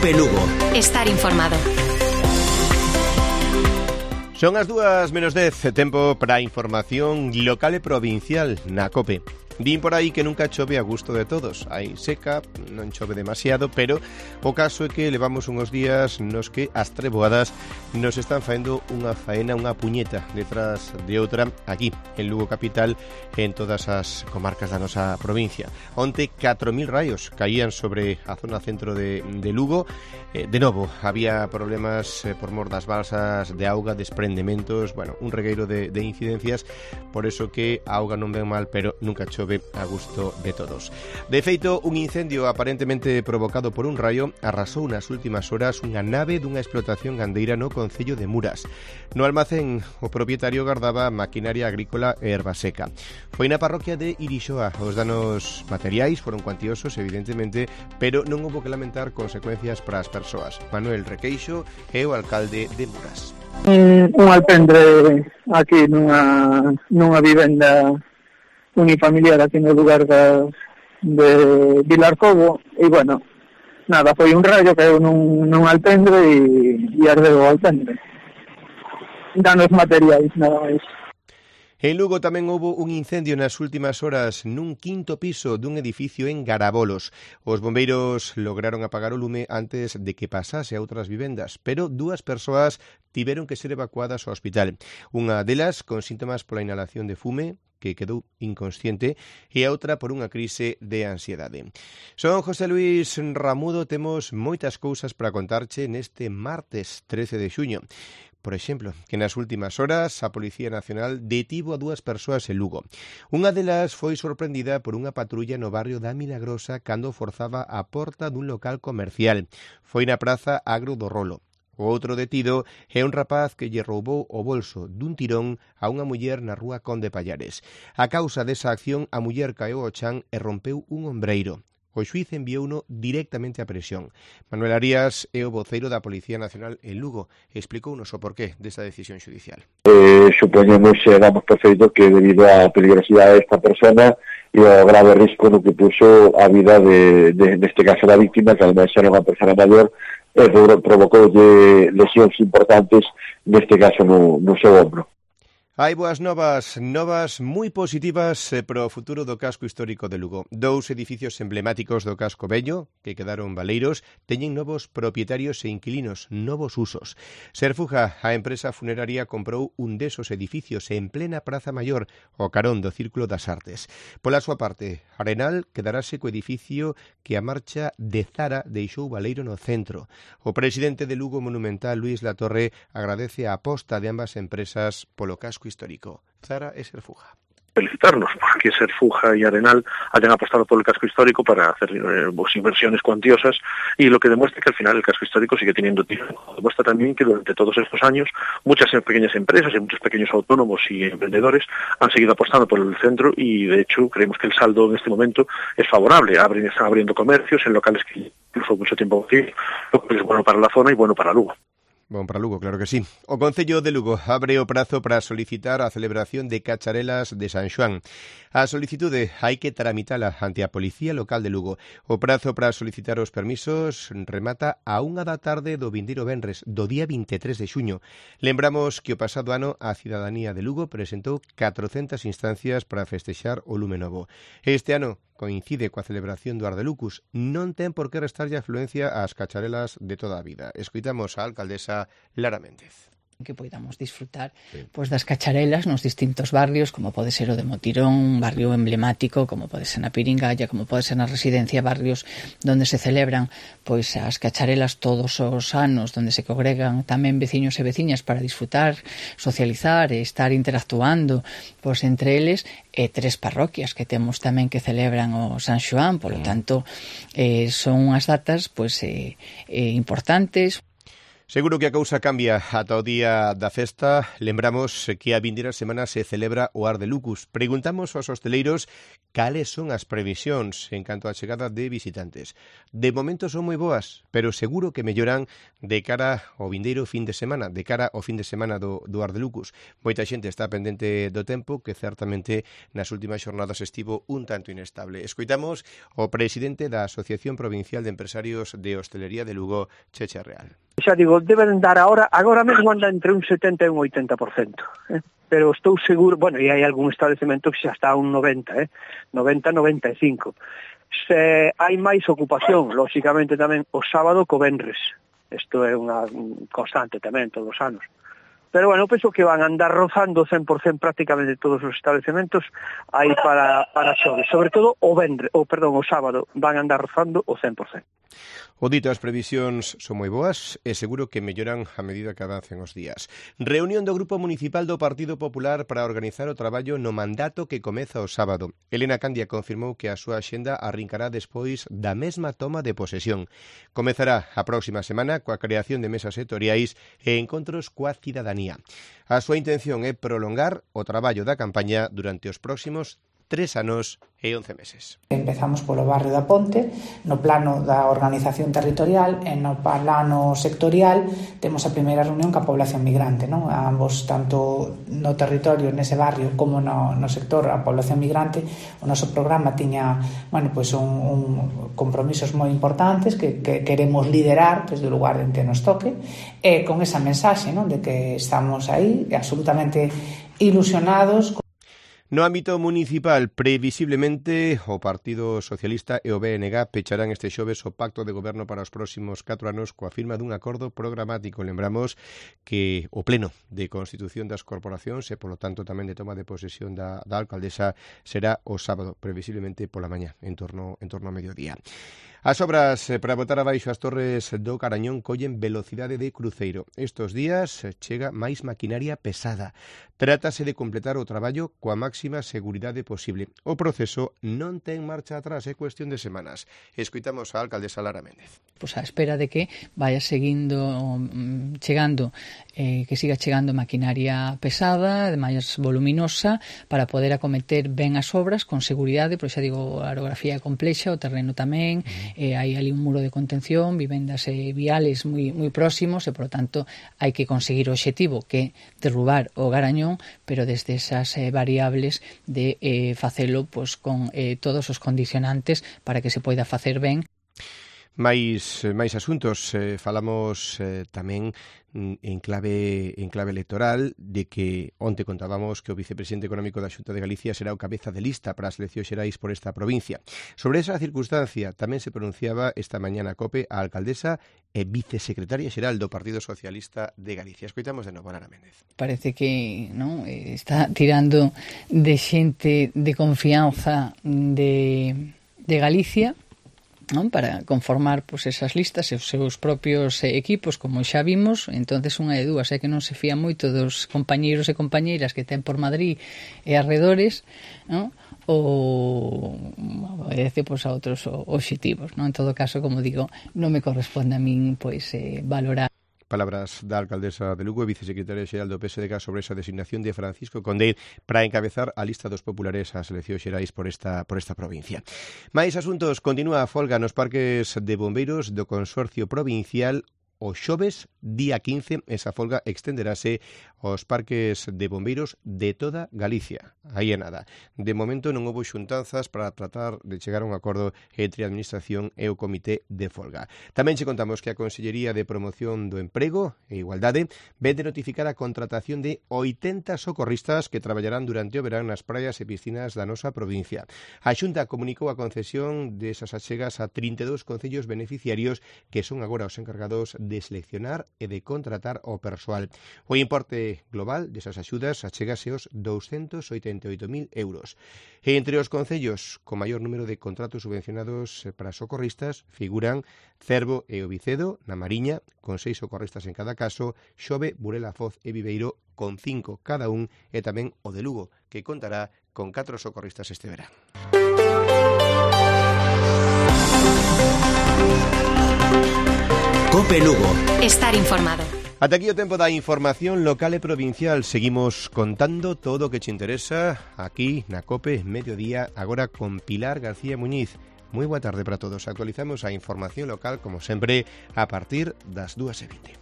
COPE Lugo. Estar informado. Son as 2:10, tempo para a información local e provincial na COPE. Din por aí que nunca chove a gusto de todos. Hai seca, non chove demasiado, pero o caso é que levamos uns días nos que as treboadas nos están faendo unha faena, unha puñeta detrás de outra aquí, en Lugo capital e en todas as comarcas da nosa provincia. Onte 4.000 raios caían sobre a zona centro de Lugo. De novo, había problemas por mor das balsas de auga, desprendementos, bueno, un regueiro de incidencias, por eso que a auga non ven mal, pero nunca chove a gusto de todos. De feito, un incendio aparentemente provocado por un raio arrasou nas últimas horas unha nave dunha explotación gandeira no concello de Muras. No almacén, o propietario gardaba maquinaria agrícola e erva seca. Foi na parroquia de Irixoa. Os danos materiais foron cuantiosos, evidentemente, pero non houbo que lamentar consecuencias para as persoas. Manuel Requeixo é o alcalde de Muras. Un alpendre aquí nunha vivenda unifamiliar aquí no lugar de Vilarcobo e, bueno, nada, foi un rayo que caeu nun alpendre e ardeu o alpendre. Danos materiais, nada máis. En Lugo tamén houbo un incendio nas últimas horas nun quinto piso dun edificio en Garabolos. Os bombeiros lograron apagar o lume antes de que pasase a outras vivendas, pero 2 persoas tiveron que ser evacuadas ao hospital. Unha delas con síntomas pola inhalación de fume, que quedou inconsciente, e a outra por unha crise de ansiedade. Son José Luis Ramudo, temos moitas cousas para contarche neste martes 13 de xuño. Por exemplo, que nas últimas horas a Policía Nacional detivo a 2 persoas en Lugo. Unha delas foi sorprendida por unha patrulla no barrio da Milagrosa cando forzaba a porta dun local comercial. Foi na praza Agro do Rolo. O outro detido é un rapaz que lle roubou o bolso dun tirón a unha muller na rúa Conde Pallares. A causa desa acción, a muller caeu ao chan e rompeu un ombreiro. O xuíz enviouno directamente a prisión. Manuel Arias é o voceiro da Policía Nacional en Lugo. Explicounos o porqué desta decisión xudicial. Supoñemos e damos por feito que debido á peligrosidade desta persona e ao grave risco no que puxo a vida neste caso da víctima, que además era unha persona maior, provocou lesións importantes, neste caso no seu ombro. Hai boas novas moi positivas para o futuro do casco histórico de Lugo. 2 edificios emblemáticos do casco vello, que quedaron baleiros, teñen novos propietarios e inquilinos, novos usos. Serfuja, a empresa funeraria, comprou un desos edificios en plena Praza Maior, ao carón do Círculo das Artes. Pola súa parte, Arenal quedarase co edificio que a marcha de Zara deixou baleiro no centro. O presidente de Lugo Monumental, Luis Latorre, agradece a aposta de ambas empresas polo casco histórico, Zara e Serfuja. Felicitarnos porque Serfuja y Arenal hayan apostado por el casco histórico para hacer inversiones cuantiosas, y lo que demuestra que al final el casco histórico sigue teniendo tiempo. Demuestra también que durante todos estos años muchas pequeñas empresas y muchos pequeños autónomos y emprendedores han seguido apostando por el centro, y de hecho creemos que el saldo en este momento es favorable. Están abriendo comercios en locales que incluso mucho tiempo vacíos, lo que es bueno para la zona y bueno para Lugo. Bon para Lugo, claro que sí. O Concello de Lugo abre o prazo para solicitar a celebración de cacharelas de San Xoán. A solicitude hai que tramitala ante a Policía Local de Lugo. O prazo para solicitar os permisos remata a 1 da tarde do vindeiro venres, do día 23 de xuño. Lembramos que o pasado ano a cidadanía de Lugo presentou 400 instancias para festexar o lume novo. Este ano coincide coa celebración do Ardelucus. Non ten por que restarlle afluencia ás cacharelas de toda a vida. Escoitamos a alcaldesa Lara Méndez. Que podamos disfrutar pois das cacharelas nos distintos barrios, como pode ser o de Motirón, un barrio emblemático, como pode ser na Piringalla, como pode ser na Residencia, barrios donde se celebran pois as cacharelas todos os anos, donde se congregan tamén veciños e veciñas para disfrutar, socializar e estar interactuando pois entre eles, e 3 parroquias que temos tamén que celebran o San Xoán, polo tanto son unhas datas pois importantes. Seguro que a cousa cambia ata o día da festa. Lembramos que a vindeira semana se celebra o Ar de Lucus. Preguntamos aos hosteleiros cales son as previsións en canto á chegada de visitantes. De momento son moi boas, pero seguro que melloran de cara ao vindeiro fin de semana, do Ar de Lucus. Moita xente está pendente do tempo, que certamente nas últimas xornadas estivo un tanto inestable. Escoitamos o presidente da Asociación Provincial de Empresarios de Hostelería de Lugo, Checha Real. Xa digo, deben dar agora mesmo anda entre un 70 e un 80%, pero estou seguro, bueno, e hai algún establecemento que xa está a un 90, 90-95. Se hai máis ocupación, lóxicamente tamén o sábado co venres, isto é unha constante tamén todos os anos. Pero bueno, penso que van a andar rozando 100% prácticamente todos os estabelecementos aí para xoves, sobre todo o sábado van a andar rozando o 100%. O dito, as previsións son moi boas e seguro que melloran a medida que avancen os días. Reunión do Grupo Municipal do Partido Popular para organizar o traballo no mandato que comeza o sábado. Elena Candia confirmou que a súa axenda arrincará despois da mesma toma de posesión. Comezará a próxima semana coa creación de mesas sectoriais e encontros coa cidadanía. A súa intención é prolongar o traballo da campaña durante os próximos 3 anos e 11 meses. Empezamos polo barrio da Ponte, no plano da organización territorial e no plano sectorial temos a primeira reunión ca población migrante, non? A ambos, tanto no territorio, nese barrio, como no sector a población migrante, o noso programa tiña, un compromisos moi importantes que queremos liderar desde o lugar en que nos toque, e con esa mensaxe, non? De que estamos aí absolutamente ilusionados. No ámbito municipal, previsiblemente, o Partido Socialista e o BNG pecharán este xoves o pacto de goberno para os próximos 4 anos coa firma dun acordo programático. Lembramos que o pleno de constitución das corporacións e, polo tanto, tamén de toma de posesión da alcaldesa será o sábado, previsiblemente pola mañá, en torno a mediodía. As obras para botar abaixo as torres do Carañón collen velocidade de cruceiro. Estos días chega máis maquinaria pesada. Trátase de completar o traballo coa máxima seguridade posible. O proceso non ten marcha atrás, é cuestión de semanas. Escoitamos a alcaldesa Lara Méndez. Pois a espera de que vaya chegando, que siga chegando maquinaria pesada, máis voluminosa, para poder acometer ben as obras con seguridade, porque xa digo, a orografía é complexa, o terreno tamén, hai ali un muro de contención, vivendas e viales moi próximos, e, por tanto, hai que conseguir o obxectivo, que é derrubar o Garañón, pero desde esas variables de facelo con todos os condicionantes para que se poida facer ben. máis asuntos. Falamos tamén en clave electoral de que onte contábamos que o vicepresidente económico da Xunta de Galicia será o cabeza de lista para as eleccións xerais por esta provincia. Sobre esa circunstancia tamén se pronunciaba esta mañá na COPE a alcaldesa e vicesecretaria xeral do Partido Socialista de Galicia. Escoitamos de novo a Lara Méndez. Parece que non está tirando de xente de confianza de Galicia, non, para conformar esas listas e os seus propios equipos, como xa vimos. Entonces unha de dúas é que non se fía moito dos compañeiros e compañeiras que ten por Madrid e arredores, non? Ou obedece a outros obxectivos, non? En todo caso, como digo, non me corresponde a min valorar. Palabras da alcaldesa de Lugo e vicesecretaria xeral do PSDG sobre esa designación de Francisco Conde para encabezar a lista dos populares ás eleccións xerais por esta provincia. Mais asuntos, continúa a folga nos parques de bombeiros do Consorcio Provincial. O xoves, día 15, esa folga extenderase aos parques de bombeiros de toda Galicia. Aí é nada. De momento non houbo xuntanzas para tratar de chegar a un acordo entre a Administración e o Comité de Folga. Tamén che contamos que a Consellería de Promoción do Emprego e Igualdade vén de notificar a contratación de 80 socorristas que traballarán durante o verán nas praias e piscinas da nosa provincia. A Xunta comunicou a concesión desas achegas a 32 concellos beneficiarios que son agora os encargados de seleccionar e de contratar o persoal. O importe global desas axudas achégase aos 288.000 euros. E entre os concellos con maior número de contratos subvencionados para socorristas figuran Cervo e o Vicedo, na Mariña, con 6 socorristas en cada caso, Xove, Burela, Foz e Viveiro, con 5 cada un, e tamén o de Lugo, que contará con 4 socorristas este verán. Cope Lugo. Estar informado. Ata aquí o tempo da información local e provincial. Seguimos contando todo o que te interesa aquí na Cope Mediodía, agora con Pilar García Muñiz. Moi boa tarde para todos. Actualizamos a información local, como sempre, a partir das 2:20.